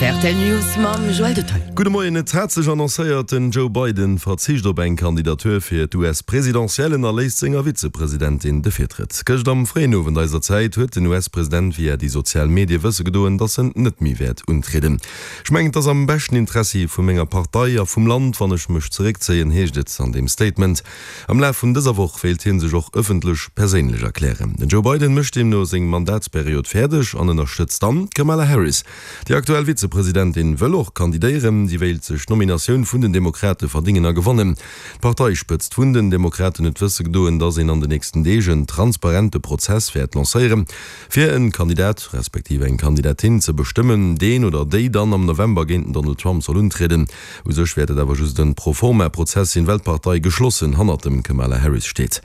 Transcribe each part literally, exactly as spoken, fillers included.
F R T L News mam Joël Detail. Gudde Moien, Et hat sech annoncéiert, den Joe Biden verzicht op eng Kandidatur fir d'U S-Presidentiellen a léisst senger Vizepresidentin de Virtrëtt. Gëscht am fréien Owend eiser Zäit huet den U S-President via déi sozial Medie wësse gedoen, datt en net méi wäert untrieden. Ech mengen, et ass am beschten Interessi vu menger Partei a vum Land, wann ech mech zeréckzéien, heescht et an deem Statement. Am Laf vun dëser Woch wéilt hie sech och ëffentlech perséinlech erklären. Den Joe Biden mécht deemno seng Mandatsperiod fäerdeg an ënnerstëtzt dann d'Kamala Harris. Déi aktuell Vizepresidentin wëll och kandidéieren. Si wéilt sech d'Nominatioun vun den Demokrate verdéngen a gewannen. D'Parteispëtzt vun den Demokraten huet wësse gedoen, datt een an den nächsten Deeg en transparente Prozess wäert lancéieren, fir en Kandidat respektiv eng Kandidatin ze bestëmmen, deen oder déi dann am November géint den Donald Trump soll untrieden. U sech wäert et awer just en Pro-forma-Prozess sinn, well d'Partei geschlossen hannert dem Kamala Harris steet.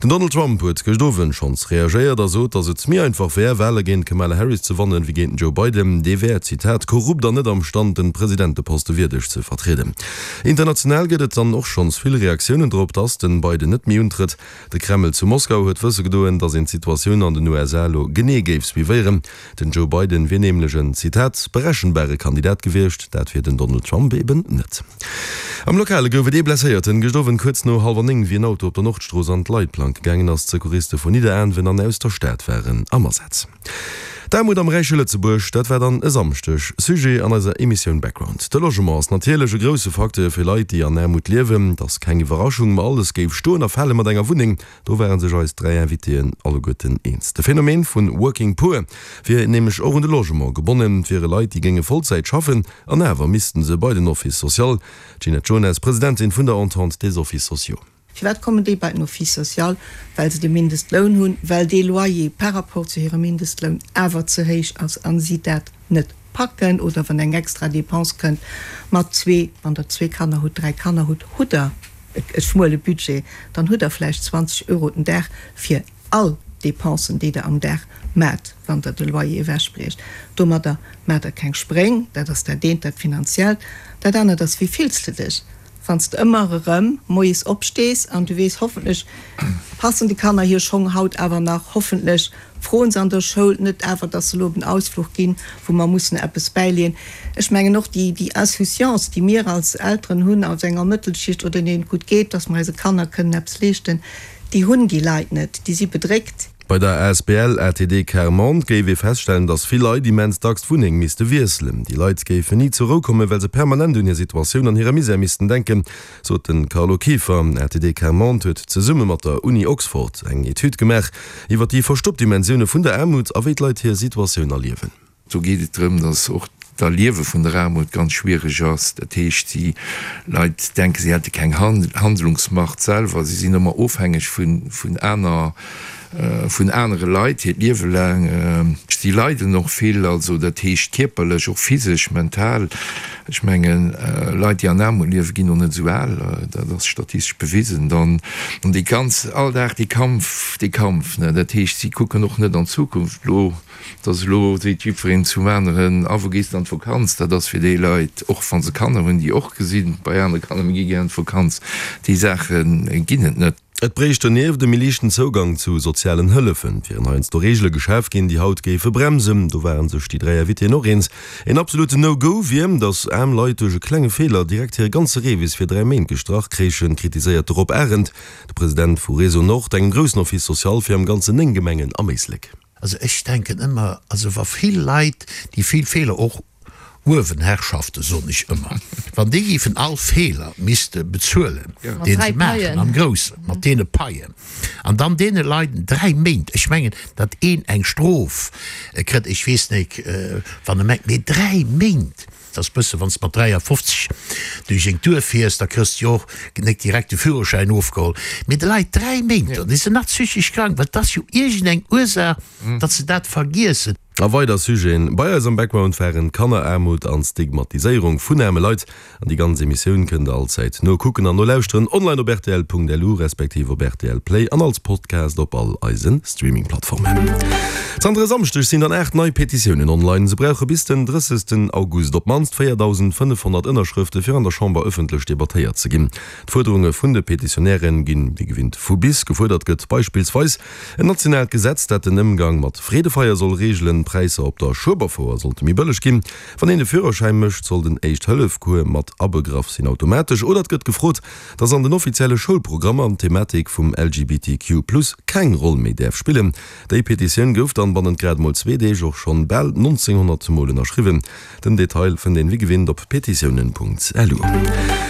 Den Donald Trump huet gëscht Owend schonns reagéiert a sot, datt et méi einfach wär, Wale géint d'Kamala Harris ze wannen, wéi géint den Joe Biden. Dee wär, Zitat, korrupt an net am Stand, den Presidenteposte wierdeg ze vertrieden. International gëtt et dann och schonns vill Reaktiounen drop, datt den Biden net méi untrëtt. De Kreml zu Moskau huet wësse gedoen, datt een d'Situatioun an den U S A elo genee géif suivéieren. Den Joe Biden wier nämlech en, Zitat, berechenbare Kandidat gewiescht, dat wier den Donald Trump eben net. Am Lokale gouf et ee Blesséierten gëscht Owend kuerz no hallwer néng, wéi en Auto op der Nordstrooss an d'Leitplank gaangen ass. D'Secouriste vun Nidderaanwen an aus der Stad waren am Asaz. D'Aarmut am räiche Lëtzebuerg, dat war dann e Samschdeg Sujet an eiser Emissioun Background. De Logement ass natierlech e grousse Facteur fir Leit, déi an Aarmut liewen. Et ass keng Iwwerraschung, ma alles géif stoen a fale mat enger Wunneng, do ware sech eis dräi Invitéen alleguerten eens. De Phänomen vun Working Poor wier nämlech och un de Logement gebonnen. Et wiere Leit, déi géinge Vollzäit schaffen an awer missten se bei den Office social. D'Ginette Jonas, Presidentin vun der Entente des Offices sociaux. Firwat kommen déi bei den Office social? Well se de Mindestloun hunn, well dee Loyer par rapport zu hirem Mindestloun awer ze héich ass a si dat net packen oder wann eng extra Dépense kënnt mat zwee, wann Der zwee Kanner hutt, dräi Kanner hutt, hutt Der e schmuele Budget, dann hutt Der vläicht zwanzeg Euro den Dag fir all Dépensen, déi Der am Dag maacht, wann Der de Loyer ewechbriecht. Domadder maacht Der keng Spréng. Dat ass dat eent, dat Finanziellt. Dat anert ass, wéi fills de dech, wann s de ëmmer erëm moies opstees an du weess, hoffentlech passen de Kanner hir Schong haut awer nach, hoffentlech froen se an der Schoul net awer, dass se elo op en Ausfluch ginn, wou mer mussen eppes bäileeën. Ech mengen och déi déi Insouciance, déi mir als Elteren hunn aus enger Mëttelschicht oder deenen et gutt geet, dass mer eise Kanner kënnen eppes leeschten, déi hunn déi Leit net, déi si bedréckt. Bei der A S B L A T D Quart Monde géif ee feststellen, datt vill Leit immens dacks d'Wunneng misste wiesselen. Déi Leit géifen ni zur Rou kommen, well se permanent un hir Situatioun an hire Misär missten denken, sot de Carlo Kieffer. A T D Quart Monde huet zesumme mat der Uni Oxford eng Etüd gemaach iwwer déi verstoppt Dimensioune vun der Aarmut a wéi d'Leit hir Situatioun erliewen. Do geet et drëm, datt och d'Erliewe vun der Aarmut ganz schwiereg ass. Dat heescht, déi Leit denken, si hätte keng Handlungsmacht selwer, si sinn ëmmer ofhängeg vun, vun aner, vun anere Leit hiert Liewe laang. Si leiden och vill, also dat heescht kierperlech, och physesch, mental. Ech mengen, Leit, déi an Aarmut liewen, ginn och net esou al, dat ass statistesch bewisen. Dann dee ganz all Dag dee Kampf, dee Kampf, ne, dat heescht, si kucken och net an d'Zukunft. Elo, dass elo seet jiddwereen zum aneren, A wou gees de an d'Vakanz? Dat ass fir déi Leit, och wa se Kanner hunn, déi och gesinn bei anere Kanner, mir gi gär an d'Vakanz, déi Saache ginn et net. Et bréicht donieft e méi liichten Zougang zu sozialen Hëllefen. Et wieren heiansdo Reegele geschaf ginn, déi haut géife bremsen. Do ware sech déi dräi Invitéen och eens. En absoluten No-Go wier, datt aarm Leit duerch e klenge Feeler direkt hire ganze Revis fir dräi Méint gestrach kréichen, kritiséiert de Rob Arendt, de President vu Réseau Nord, engem groussen Office social fir am Ganzen néng Gemengen am Éislek. Also ech denken ëmmer, also wa vill Leit, déi vill Feeler och uewen Herrschaften, soen ech ëmmer, wann déi géifen all Feeler misste bezuelen, dee se maachen am Groussen, mat deene Paien, an dann deene Leit dräi Méint, ech mengen, datt een eng Strof kritt, ech weess nik, wann e mengt, mee dräi Méint, dat ass bësse wann s de mat dräiafofzeg duerch eng Tour fiers, da kriss de jo och nik direkt de Führerschäin ofgeholl, mee de Leit dräi Méint, dann si se nach psychesch krank, well et ass jo iergendeng Ursaach, datt se dat vergiessen. A weider Sujeten bei eis am Background waren Kanneraarmut an Stigmatiséierung vun aarme Leit. An déi ganz Emissioun kënnt der allzäit nokucken an nolauschteren online op rtl Punkt L U respektiv op R T L Play an als Podcast op all eise Streaming-Plattformen. Zanter e Samschdeg sinn dann aacht nei Petitiounen online. Se brauche bis den drëssegsten August op d'mannst véierdausendfënnefhonnert Ënnerschrëfte fir an der Chamber ëffentlech debattéiert ze ginn. D'Fuerderunge vun de Petitionäre ginn wéi gewinnt vu bis. Gefuerdert gëtt beispillsweis en nationaalt Gesetz, dat den Ëmgang mat Freedefeier soll reegelen. D'Präisser op der Schueberfouer sollte méi bëlleg ginn. Wann een de Führerschäin mécht, soll den Éischt-Hëllef-Cours mat abegraff sinn, automatesch. Oder et gëtt gefrot, dass an den offizielle Schoulprogrammer d'Thematik vum LGBTQ plus keng Roll méi däerf spillen. Déi Petitioun gouf dann bannent grad mol zwee Deeg och schonn bal nonzénghonnert Mol ënnerschriwwen. Den Detail fënnt een wéi gewinnt op petitiounen.lu.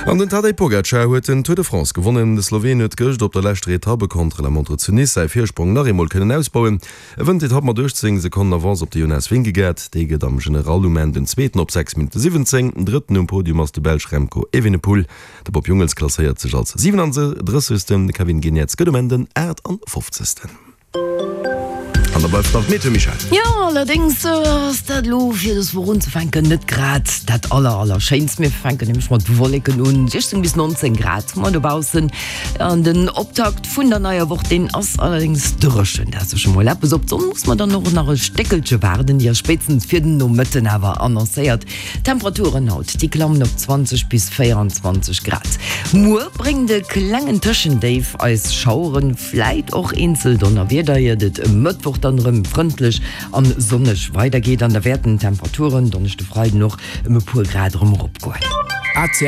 An den Tadej Pogacar huet den Tour de France gewonnen. De Sloween huet gëscht op der leschter Etappe Contre-la-montre zu Nice säi Virsprong nach eemol kënnen ausbauen. E wënnt d'Etapp mat uechtzéng Sekonnen Avance op de Jonas Vingegaard. Dee gëtt am General um Enn den Zweeten op sechs Minutte siwwenzéng. Drëtten um Podium ass de Belsch Remco Evenepoel. De Bob Jungels klasséiert sech als siwenanddrëssegsten, de Kevin Geniets gëtt um Enn den aachtandfofzegsten. An da bleift nach d'Meteo, Michèle. Jo, allerdéngs ass dat elo fir dës Woch unzefänken net grad dat aller aller schéinst. Mir fänken nämlech mat Wolleken un, siechzéng bis nonzéng Grad hu mer dobaussen. An den Optakt vun der neier Woch, deen ass allerdéngs dréchen. Dat ass jo scho mol eppes. Op d'Sonn muss mer dann och nach e Stéckelche waarden, déi ass spéitstens fir den Nomëtten awer annoncéiert. D'Temperaturen haut, déi klammen op zwanzeg bis véieranzwanzeg Grad. Muer bréngt e klengen Tëschendéif eis Schaueren, vläit och eenzel Donnerwieder, iert et e Mëttwoch dann erëm frëndlech an sonneg weidergeet. An da wäerten d'Temperaturen Donneschde, Freiden och ëm e puer Grad erëm eropgoen. Rtl.